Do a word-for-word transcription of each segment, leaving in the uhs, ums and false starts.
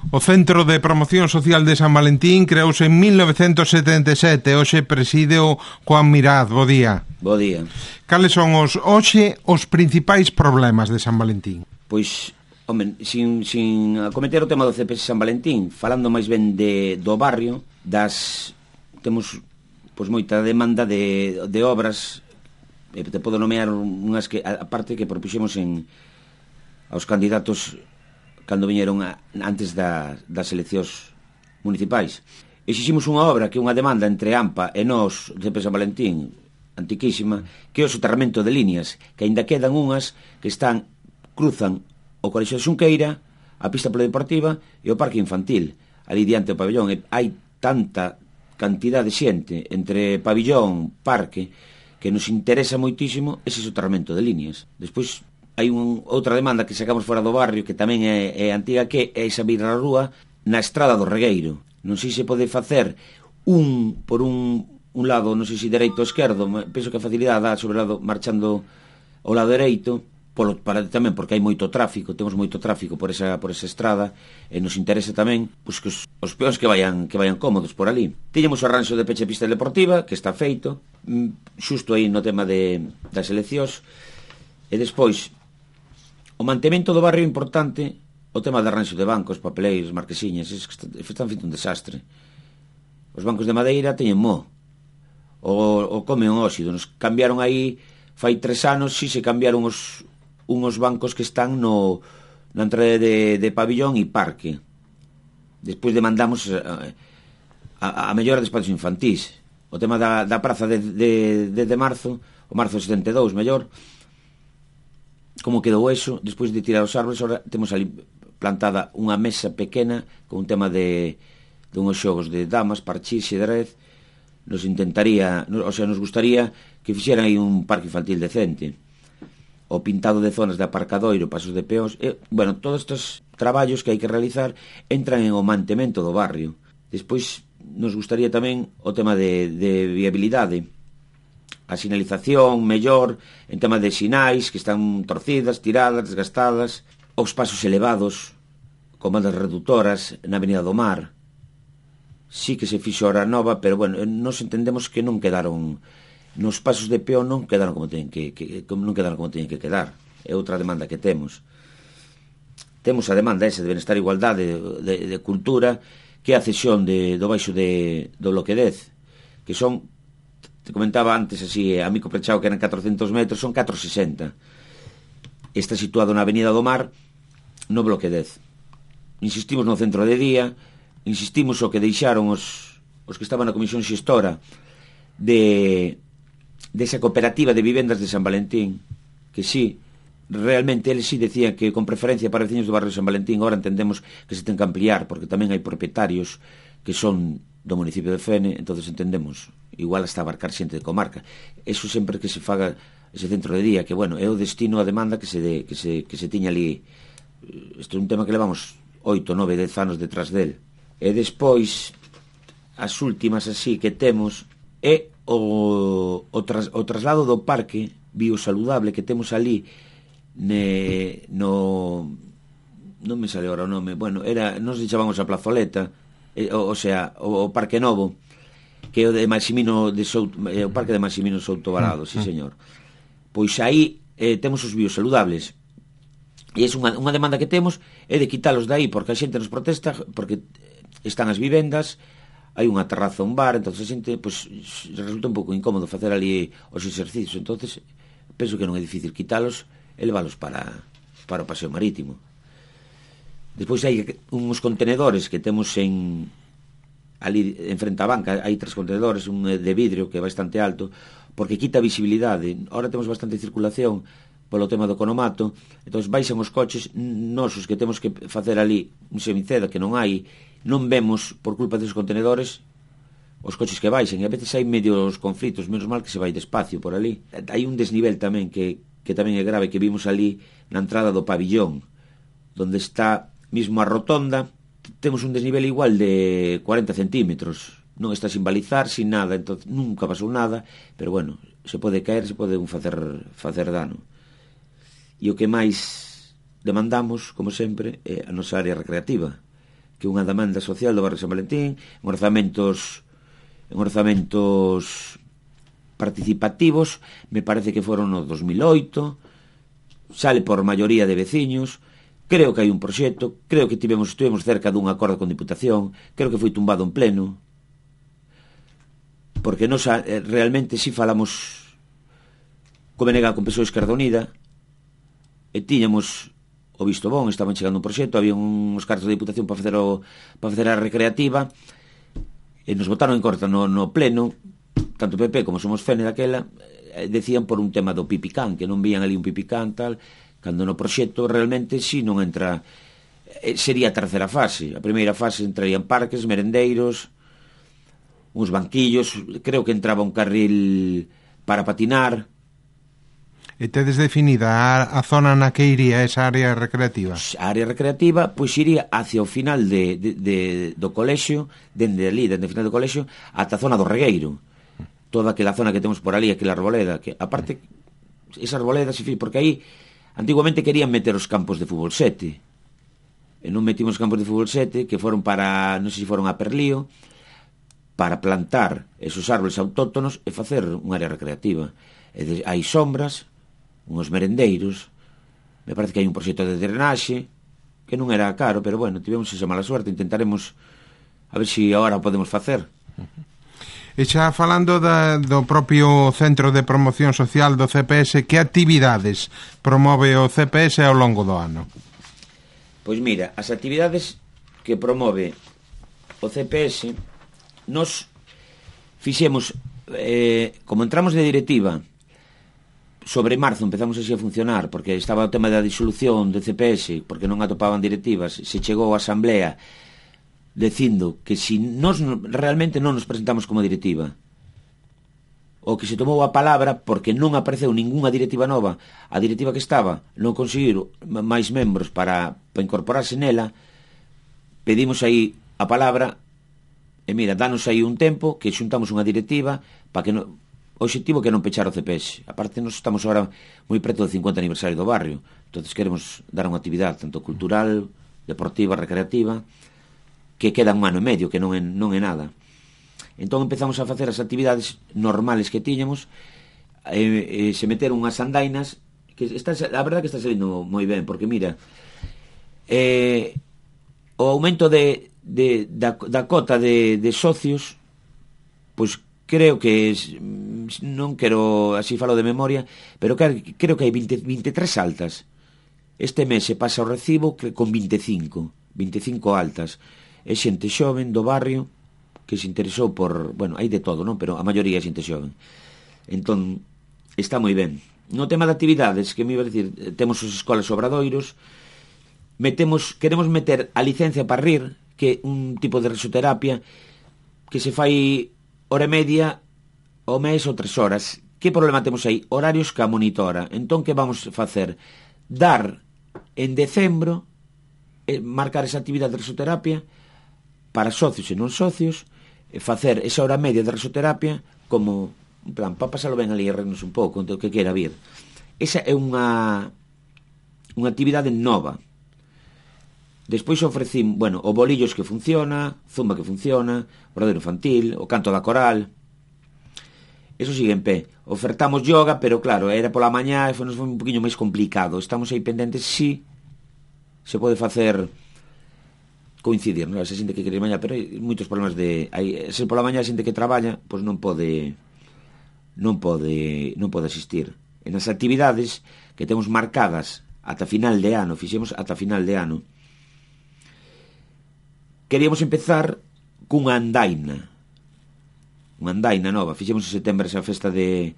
O Centro de Promoción Social de San Valentín creouse en mil novecentos setenta e sete, hoxe preside o Juan Mirad. Bo día. Bo día. Cales son os hoxe os principais problemas de San Valentín? Pois, home, sin, sin acometer o tema do C P S San Valentín, falando máis ben de, do barrio, das temos pois moita demanda de, de obras, e te podo nomear unhas que, a parte que propuxemos en aos candidatos cando viñeron a, antes da, das eleccións municipais. Exiximos unha obra que é unha demanda entre AMPA e nós, C P San Valentín, antiquísima, que é o soterramento de líneas, que aínda quedan unhas que están, cruzan o Colexio de Xunqueira, a pista polideportiva e o parque infantil, ali diante do pabellón. E hai tanta cantidad de xente entre pabellón, parque, que nos interesa moitísimo ese soterramento de líneas. Despois hai un, outra demanda que sacamos fora do barrio, que tamén é, é antiga, que é esa virra rúa na estrada do Regueiro. Non sei se pode facer un por un, un lado, non sei se dereito ou esquerdo, penso que a facilidade dá sobre o lado, marchando ao lado dereito, polo, para, tamén porque hai moito tráfico, temos moito tráfico por esa, por esa estrada, e nos interesa tamén pois, que os, os peóns que vayan, que vayan cómodos por ali. Tiñamos o arranxo de peche pista deportiva, que está feito, xusto aí no tema de, das eleccións, e despois o mantemento do barrio é importante, o tema de arranxo de bancos, papeleiros, marquesiñas, es que están feito un desastre. Os bancos de madeira teñen mo, o, o comen óxido. Nos cambiaron aí, fai tres anos, si se cambiaron os, unhos bancos que están no, na entrada de, de pabillón e parque. Despois demandamos a, a, a mellora de espazos infantís. O tema da, da praza de, de, de, de marzo, o marzo setenta e dous, mellor, como quedou eso, despois de tirar os árboles, ahora temos ali plantada unha mesa pequena con un tema de, de unhos xogos de damas, parchís, xedrez. Nos intentaría, o sea, nos gustaría que fixeran aí un parque infantil decente, o pintado de zonas de aparcadoiro, pasos de peóns, e, bueno, todos estes traballos que hai que realizar entran en o mantemento do barrio. Despois nos gustaría tamén o tema de, de viabilidade, a sinalización mellor, en tema de sinais que están torcidas, tiradas, desgastadas, os pasos elevados con bandas reductoras na Avenida do Mar. Sí que se fixo hora nova, pero bueno, nos entendemos que non quedaron, nos pasos de peón non quedaron como teñen que, que non quedaron como teñen que quedar. É outra demanda que temos. Temos a demanda esa de benestar e igualdade, de, de cultura, que é a cesión de, do baixo de, do bloque dez, que son, te comentaba antes así, a Mico Prechao que eran catrocentos metros, son catrocentos sesenta. Está situado na Avenida do Mar, no bloque dez. Insistimos no centro de día, insistimos o que deixaron os, os que estaban na comisión xestora de desa cooperativa de vivendas de San Valentín, que sí, realmente eles sí decían que con preferencia para veciños do barrio de San Valentín. Agora entendemos que se ten que ampliar, porque tamén hai propietarios que son do municipio de Fene, entonces entendemos igual hasta abarcar xente de comarca. Eso sempre que se faga ese centro de día, que bueno, é o destino, a demanda que se, de, que se, que se tiña ali. Isto é un tema que levamos oito, nove, dez anos detrás del. E despois as últimas así que temos é o, o, tras, o traslado do parque biosaludable que temos ali ne, no non me sale ahora o nome, bueno, era, nos chamamos a Plazoleta, eh, o, o sea, o, o Parque Novo, que é o de Maximino de Souto, eh, o Parque de Maximino Souto Varado, sí señor. Pois aí eh, temos os biosaludables. E é unha, unha demanda que temos é de quitalos dai, porque a xente nos protesta, porque están as vivendas, hai unha terraza, un bar, entonces a xente pois, resulta un pouco incómodo facer ali os exercicios. Entonces penso que non é difícil quitalos e leválos para, para o paseo marítimo. Despois hai uns contenedores que temos en ali en frente á banca, hai tres contenedores, un de vidrio que é bastante alto, porque quita visibilidade. Ahora temos bastante circulación polo tema do conomato, entón baixan os coches nosos que temos que facer ali un semiceda que non hai, non vemos por culpa desos contenedores os coches que baixan, e a veces hai medios conflitos, menos mal que se vai despacio por ali. Hai un desnivel tamén que, que tamén é grave, que vimos ali na entrada do pabillón, donde está mismo a rotonda, temos un desnivel igual de cuarenta centímetros, non está sin balizar, sin nada, entón nunca pasou nada, pero bueno, se pode caer, se pode un facer, facer dano. E o que máis demandamos, como sempre, é a nosa área recreativa, que é unha demanda social do barrio San Valentín, en orzamentos en orzamentos participativos, me parece que foron no dos mil oito, sale por maioría de veciños. Creo que hai un proxecto, creo que tivemos estivemos cerca dun acordo con Diputación, creo que foi tumbado en pleno, porque nos eh, realmente si falamos co B N G con P S O E Esquerda Unida, e tiñamos o visto bon, estaban chegando un proxecto, había uns cartos de Diputación para facer o, para facer a recreativa, e nos votaron en corta no, no pleno, tanto P P como Somos Fene daquela, eh, decían por un tema do pipicán, que non vían ali un pipicán tal, cando no proxecto realmente si non entra, eh, sería a terceira fase. A primeira fase entrarían parques, merendeiros, uns banquillos, creo que entraba un carril para patinar. E tedes definida a, a zona na que iría esa área recreativa? A área recreativa pois iría hacia o final de, de, de, do colexio, dende ali, dende o final do colexio, ata a zona do regueiro. Toda aquela zona que temos por ali, aquela arboleda, que aparte, esa arboleda, porque aí antiguamente querían meter os campos de fútbol sete, e non metimos os campos de fútbol sete, que foron para, non sei se foron a Perlío, para plantar esos árboles autóctonos e facer unha área recreativa. E de, hai sombras, uns merendeiros, me parece que hai un proxecto de drenaxe, que non era caro, pero bueno, tivemos esa mala suerte, intentaremos a ver se si agora o podemos facer. E xa falando da, do propio Centro de Promoción Social do C P S, que actividades promove o C P S ao longo do ano? Pois mira, as actividades que promove o C P S, nos fixemos, eh, como entramos de directiva, sobre marzo empezamos así a funcionar, porque estaba o tema da disolución de C P S, porque non atopaban directivas, se chegou a asamblea dicindo que si nos realmente non nos presentamos como directiva, o que se tomou a palabra porque non apareceu ningunha directiva nova, a directiva que estaba non conseguiu máis membros para, para incorporarse nela, pedimos aí a palabra e mira, danos aí un tempo que xuntamos unha directiva para que non, o objetivo que non pechar o C P S. Aparte nos estamos agora moi preto do cincuenta aniversario do barrio, entonces queremos dar unha actividade tanto cultural, deportiva, recreativa, que queda un ano e medio, que non é, non é nada. Entón empezamos a facer as actividades normales que tiñamos, e, e se meteron unhas andainas, que está, a verdade que está salindo moi ben, porque mira, eh, o aumento de, de, da, da cota de, de socios, pois creo que es, non quero, así falo de memoria, pero creo que hai veinte, veintitrés altas. Este mes se pasa o recibo con veinticinco, veinticinco altas. É xente xoven do barrio que se interesou por, bueno, hai de todo, non? Pero a maioría é xente xoven. Entón, está moi ben. No tema de actividades, que me iba a decir, temos os escolas obradoiros, metemos, queremos meter a licencia para rir, que é un tipo de risoterapia que se fai hora e media ao mes ou tres horas. Que problema temos aí? Horarios que a monitora. Entón, que vamos facer? Dar en decembro, eh, marcar esa actividade de risoterapia para socios e non socios, e facer esa hora media de risoterapia como, en plan, para pasalo ben ali e reírnos un pouco, o que quera vir. Esa é unha unha actividade nova. Despois ofrecín, bueno, o bolillos que funciona, zumba que funciona, o bradeiro infantil, o canto da coral. Eso sigue en pé. Ofertamos yoga, pero claro, era pola mañá e foi, foi un poquinho máis complicado. Estamos aí pendentes si se pode facer coincidir, non? Esa xente que quere ir mañá, pero hai moitos problemas de, hai, se pola mañá a xente que traballa, pois non pode non pode non pode asistir. En as actividades que temos marcadas ata final de ano, fixemos ata final de ano, queríamos empezar cunha andaina, unha andaina nova. Fixemos en setembro esa festa de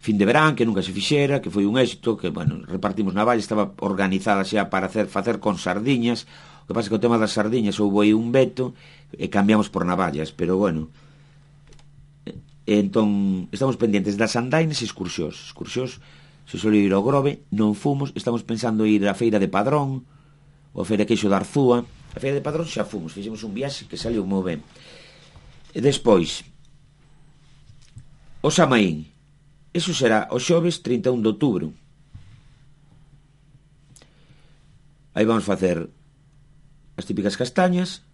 fin de verán, que nunca se fixera, que foi un éxito, que, bueno, repartimos na valla, estaba organizada xa para hacer, facer con sardiñas. O que pasa é que o tema das sardiñas houve aí un veto e cambiamos por navallas, pero bueno, e entón estamos pendentes das andainas e excursións. Excursións, se solo ir ao Grove, non fomos, estamos pensando ir á feira de Padrón, ou a feira queixo da Arzúa. A feira de Padrón xa fomos, fixemos un viaxe que saliu moi ben. E despois, o Samaín, eso será o xoves trinta e un de outubro. Aí vamos facer as típicas castañas,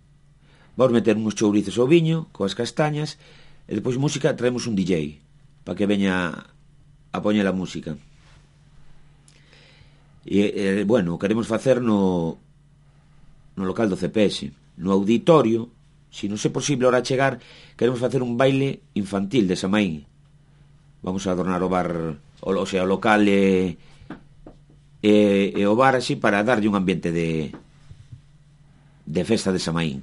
vamos meter uns chourizos ao viño coas castañas, e depois música, traemos un D J para que veña a poñer a música. E, e bueno, queremos facer no no local do C P S, no auditorio. Se non é posible ahora chegar, queremos facer un baile infantil de Samaín. Vamos a adornar o bar, o, o sea, o local e, e, e o bar así para darlle un ambiente de de festa de Samaín.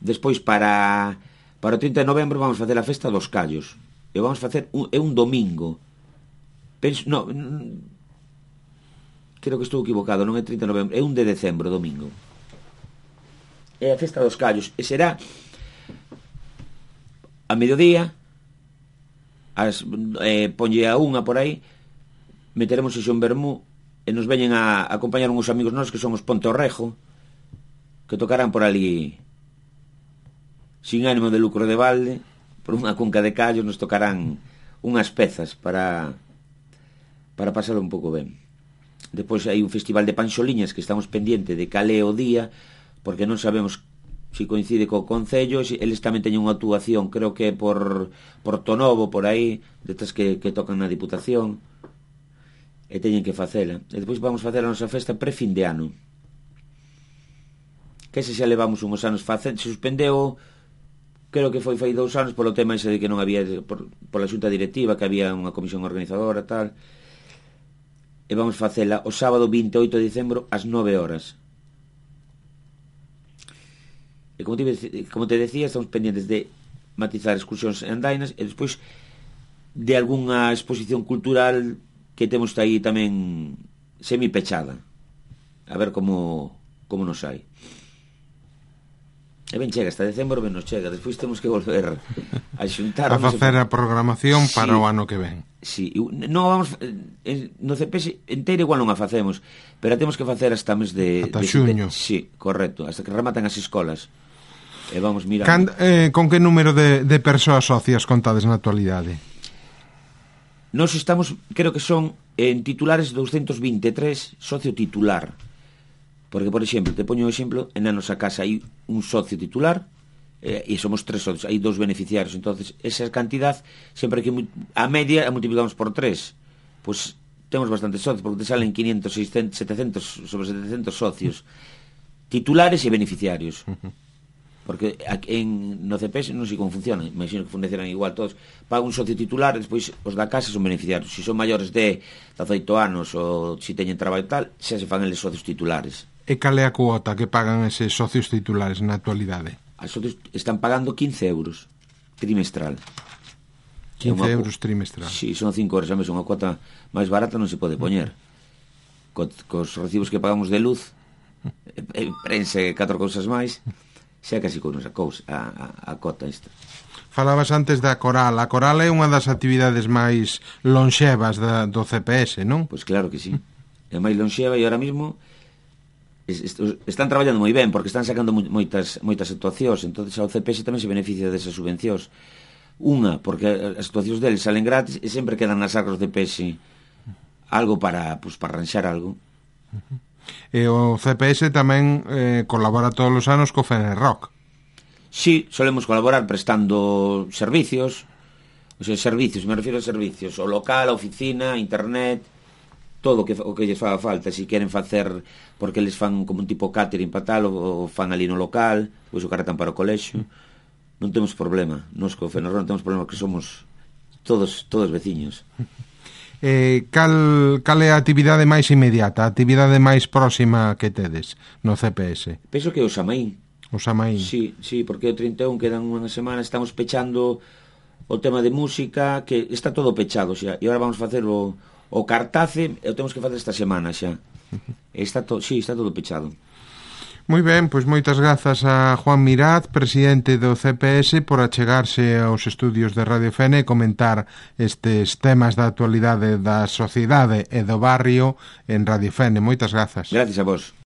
Despois para para o trinta de novembro vamos facer a festa dos callos. E vamos facer un, é un domingo. Penso, no, creo que estou equivocado, non é trinta de novembro, é un de decembro, domingo. É a festa dos callos, e será a mediodía, as, eh, ponlle a unha por aí, meteremos iso en vermú, e nos veñen a, a acompañar uns amigos nosos que son os Ponte Orrejo, que tocarán por ali sin ánimo de lucro de balde, por unha cunca de callos, nos tocarán unhas pezas para para pasar un pouco ben. Depois hai un festival de panxoliñas que estamos pendiente de cal é o día, porque non sabemos se coincide co Concello. Eles tamén teñen unha actuación, creo que por Portonovo, por aí, detrás que, que tocan na Diputación, e teñen que facela. E depois vamos facer a nosa festa pre-fin de ano, que se xa levamos uns anos facendo. Se suspendeu, creo que foi fai dous anos polo tema ese de que non había, por, pola xunta directiva, que había unha comisión organizadora, tal. E vamos facela o sábado vinte e oito de dicembro ás nove horas. E como te, como te decía, estamos pendientes de matizar excursións en andainas e despois de algunha exposición cultural que temos aí tamén semi-pechada, a ver como como nos hai. E ben chega, hasta decembro ben nos chega. Despois temos que volver a xuntar a facer a programación para sí, o ano que ven. Sí, non vamos no C P S inteiro igual non a facemos, pero a temos que facer hasta mes de ata de xuño. Sí, correcto, hasta que rematan as escolas. E vamos mirando. Can, eh, con que número de, de persoas socias contades na actualidade? Nos estamos, creo que son en titulares doscientos vinte e tres, socio titular. Porque, por exemplo, te poño o exemplo, en a nosa casa hai un socio titular eh, e somos tres socios, hai dous beneficiarios. Entonces, esa cantidad, sempre que a media a multiplicamos por tres, pues temos bastantes socios, porque te salen quinientos, seiscentos, setecientos, sobre setecientos socios titulares e beneficiarios. Porque en, no C P S non sei como funciona, imagino que funcionan igual todos. Paga un socio titular, despois os da casa son beneficiarios. Se son maiores de dezaoito anos ou se teñen traballo tal, xa se fan eles socios titulares. E cal é a cuota que pagan eses socios titulares na actualidade? As socios están pagando quince euros trimestral. quince euros trimestral. Si, sí, son cinco horas a mes, unha cuota máis barata non se pode poñer. Co, cos recibos que pagamos de luz, e, e prense catro cousas máis, xa casi con esa cousa, a, a, a cota esta. Falabas antes da coral. A coral é unha das actividades máis lonxevas da, do C P S, non? Pois claro que sí. É máis lonxeva e ahora mismo es, es, están traballando moi ben porque están sacando moitas moitas actuacións. Entonces ao C P S tamén se beneficia desas subvencións. Unha, porque as actuacións deles salen gratis e sempre quedan nas arcas do C P S algo para, pues, para arranxar algo. Uh-huh. E o C P S tamén eh, colabora todos os anos co Fenerrock. Sí, solemos colaborar prestando servicios, o sea, servicios, me refiero a servicios, o local, a oficina, internet, todo o que, o que lles faga falta. Se si queren facer, porque les fan como un tipo catering para tal, o, o fan ali no local, pois o carretan para o colexio, non temos problema. Nos co Fenerrock non temos problema, que somos todos todos veciños. Eh, cal, cal é a actividade máis inmediata, a actividade máis próxima que tedes no C P S? Penso que o Samaín. O Samaín. Sí, sí, porque o trinta e un quedan unha semana, estamos pechando o tema de música, que está todo pechado xa, e agora vamos facer o, o cartace, e o temos que facer esta semana xa. Está to, sí, está todo pechado. Moi ben, pois moitas grazas a Juan Miraz, presidente do C P S, por achegarse aos estudios de Radio Fene e comentar estes temas da actualidade da sociedade e do barrio en Radio Fene. Moitas grazas. Gracias a vos.